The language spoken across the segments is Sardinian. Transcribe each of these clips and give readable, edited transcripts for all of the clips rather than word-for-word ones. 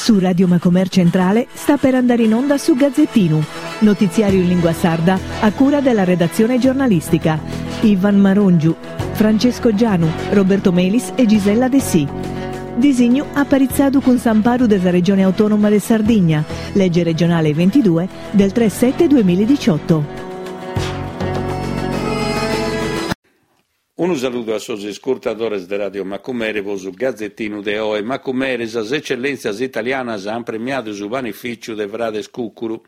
Su Radio Macomer Centrale sta per andare in onda su Gazzettinu, notiziario in lingua sarda a cura della redazione giornalistica. Ivan Marongiu, Francesco Gianu, Roberto Melis e Gisella Dessì. Disignu aparitzadu cun s'amparu de sa Regione Autonoma de Sardigna, lege regionale 22 del 3 7 2018. Unu saludu a sos iscurtadores de Radio Macumere po su Gazetinu de oe. Macumere, sas ecellentzias italianas ant premiadu su panifìciu de frades Cucuru.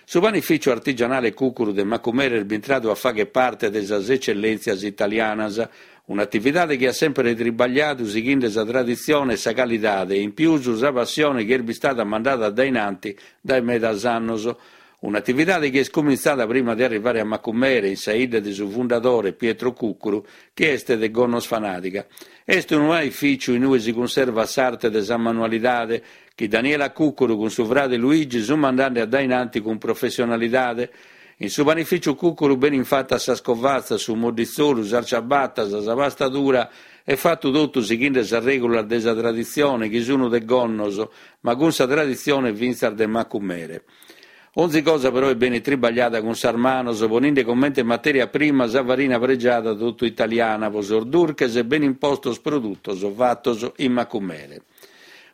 Su panifìciu artigianale Cucuru de Macumere est bintradu a fagher parte de sas ecellentzias italianas, un'atividade chi at semper tribagliadu sighinde sa traditzione e sa calidade e in pius sa passione chi est bistada mandada a dainanti dae medas annos. Un'atividade chi est cumintzada prima de arrivare a Macumere, in sa 'idda de su fundadore Pietro Cuccuru, chi est de Gonnosfanadiga. Est unu panificiu in ue si cunservat s'arte de sa manualidade, chi Daniela Cuccuru cun su frade Luigi sunt mandende a dainanti cun professionalidade. In su panificiu Cuccuru benint fatas sas covatzas, su modditzolu, sas ciabatas, sa pasta dura e fatu totu sighende sas règulas de sa traditzione chi sunt de Gonnos, ma cun sa traditzione fintzas de Macumere. Onzi cosa però est benit tribagliada cun sas manos, poninde comente materia prima sa farina pregiada totu italiana, po sos durches benin postos produtos fatos in Macumere.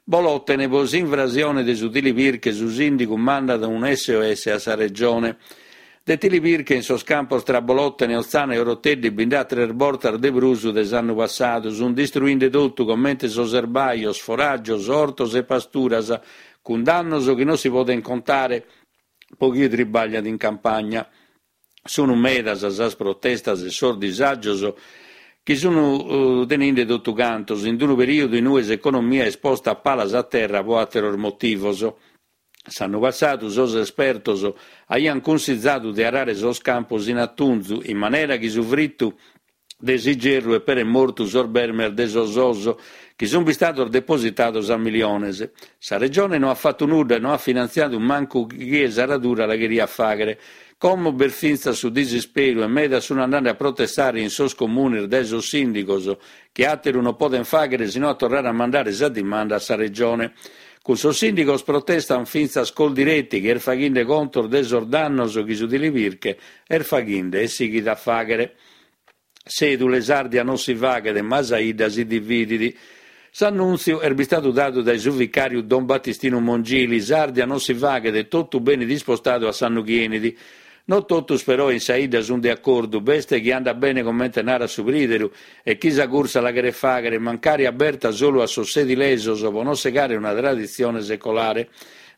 Bolòtene po s'invrasione de su Tilipirche su sìndigu mandat un SOS a sa Regione. De tilipirche in sos campos tra Bolòtene, Otzana e Oroteddi bi nd'at tres bortas de prus de s'annu passadu. Sunt distruinde totu, comente sos erbajos, foràgios, ortos e pasturas, cun dannos chi non si podent contare po chie tribagliat in campagna. Sunu medas sas protestas e sos disàgios chi sunu teninde totu cantos, in unu perìodu in ue s'economia est posta a palas a terra po àteros motivos. S'annu passadu sos espertos aiant cunsizadu de arare sos campos in atunzu, in manera chi su fritu de s'igerru eperet mortu sos bermes de sos os, chi sunt bistados depositados a miliones. Sa Regione no at fatu nudda e no at finantziadu mancu chie s'aradura la cheriat fàghere. Como b'est fintzas su disisperu e medas sunt andende a protestare in sos comunes dae sos sìndigos, chi àteru non podent fàghere si no a torrare a mandare sa dimanda a sa Regione. Cun sos sìndigos protestant fintzas Coldiretti chi est faghende contos de sos dannos chi su tilipirche est faghende e sighit a fàghere. Sedule s'Ardia non si faghet ma sa 'idda si dividit. S'annùntziu est bistadu dadu dae su vicàriu Don Battistinu Mongili, S'Ardia non si faghet e totu benit ispostadu a s'annu chi 'enit. No totus però in sa 'idda sunt de acordu, b'est chi andat bene comente narat su prìderu e chi sa cursa la cheret fàghere, mancari aberta solu a sos sedilesos pro non segare una traditzione secolare.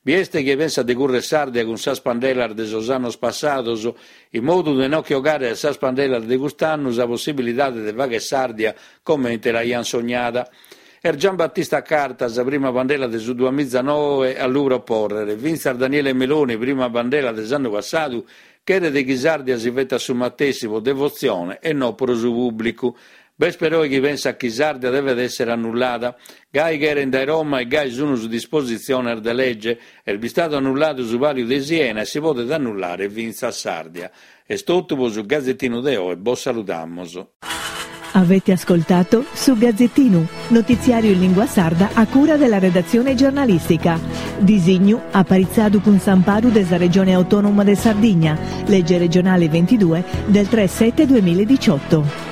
Bi est chie pensat de currer s'Ardia cun sas pandelas de sos annos passados, in modu de no che 'ogare a sas pandelas de cust'annu sa possibilidade de fagher s'Ardia comente l'aiant sognada. Est Gian Battista Carta sa prima pandela de su duamizanoe a lu propòrrere. Fintzas Daniele Meloni, prima pandela de s'annu passadu, cheret chi s'Ardia si fetat su matessi pro devotzione e no pro su pùblicu. B'est peroe chi pensat chi s'Ardia devet èssere annullada. Gai cherent dae Roma e gai sun sas dispositziones de lege. Est bistadu annulladu su Pàliu de Siena e si podet annullare fintzas s'Ardia. Est totu pro su Gazetinu de oe, bos saludamos. Avete ascoltato Su Gazzettinu, notiziario in lingua sarda a cura della redazione giornalistica. Disignu aparitzadu cun s'amparu de sa Regione Autonoma de Sardigna, legge regionale 22 del 3 7 2018.